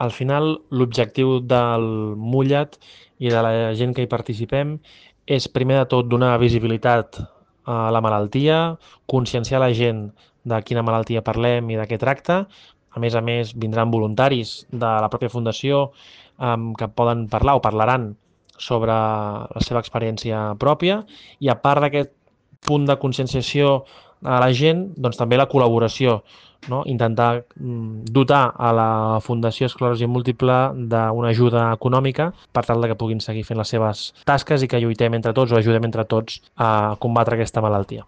Al final, l'objectiu del Mullet i de la gent que hi participem és, primer de tot, donar visibilitat a la malaltia, conscienciar la gent de quina malaltia parlem i de què tracta. A més, vindran voluntaris de la pròpia fundació que poden parlar o parlaran sobre la seva experiència pròpia i a part d'aquest punt de conscienciació a la gent, doncs també la col·laboració, no? Intentar dotar a la Fundació Esclerosi Múltiple d'una ajuda econòmica per tal de que puguin seguir fent les seves tasques i que lluitem entre tots o ajudem entre tots a combatre aquesta malaltia.